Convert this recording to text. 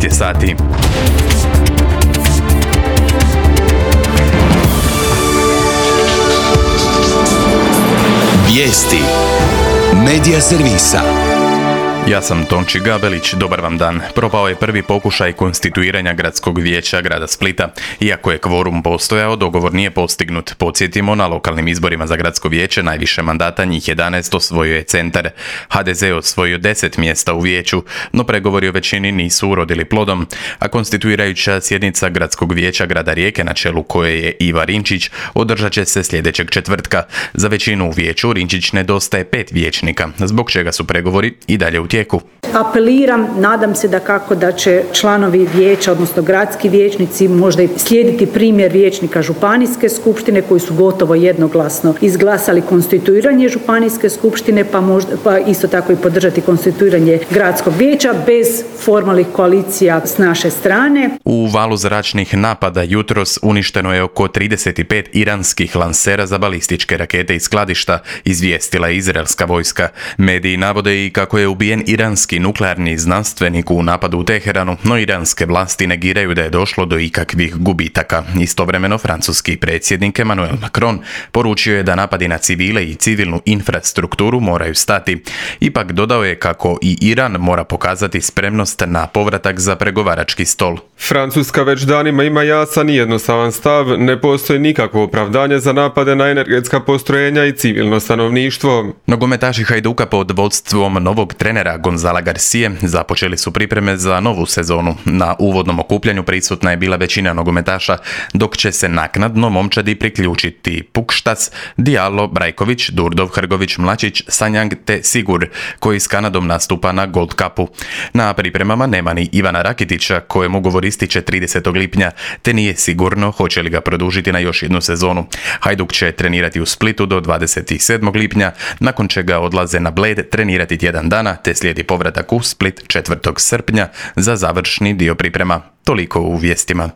12 je sati. Vijesti Medija servisa. Ja sam Tonči Gabelić, dobar vam dan. Propao je prvi pokušaj konstituiranja gradskog vijeća grada Splita. Iako je kvorum postojao, dogovor nije postignut. Podsjetimo, na lokalnim izborima za gradsko vijeće najviše mandata, njih 11, osvojio je Centar. HDZ je osvojio 10 mjesta u vijeću, no pregovori o većini nisu urodili plodom, a konstituirajuća sjednica gradskog vijeća grada Rijeke, na čelu koje je Iva Rinčić, održat će se sljedećeg četvrtka. Za većinu u vijeću Rinčić nedostaje 5 vijećnika, zbog čega su pregovori i dalje u tijeku. Apeliram, nadam se da će članovi vijeća, odnosno gradski vijećnici, možda i slijediti primjer vijećnika županijske skupštine koji su gotovo jednoglasno izglasali konstituiranje županijske skupštine, pa isto tako i podržati konstituiranje gradskog vijeća bez formalnih koalicija s naše strane. U valu zračnih napada jutros uništeno je oko 35 iranskih lansera za balističke rakete i skladišta, izvijestila je izraelska vojska. Mediji navode i kako je ubijen iranski nuklearni znanstvenik u napadu u Teheranu, no iranske vlasti negiraju da je došlo do ikakvih gubitaka. Istovremeno, francuski predsjednik Emmanuel Macron poručio je da napadi na civile i civilnu infrastrukturu moraju stati. Ipak dodao je kako i Iran mora pokazati spremnost na povratak za pregovarački stol. Francuska već danima ima jasan i jednostavan stav, ne postoji nikakvo opravdanje za napade na energetska postrojenja i civilno stanovništvo. Nogometaši Hajduka pod vodstvom novog trenera Gonzala Garcije započeli su pripreme za novu sezonu. Na uvodnom okupljanju prisutna je bila većina nogometaša, dok će se naknadno momčadi priključiti Pukštas, Diallo, Brajković, Durdov, Hrgović, Mlačić, Sanjang te Sigur, koji s Kanadom nastupa na Gold Cupu. Na pripremama nema ni Ivana Rakitića, kojem ugovor ističe 30. lipnja, te nije sigurno hoće li ga produžiti na još jednu sezonu. Hajduk će trenirati u Splitu do 27. lipnja, nakon čega odlaze na Bled trenirati tjedan dana, te slijedi povratak u Split 4. srpnja za završni dio priprema. Toliko u vijestima.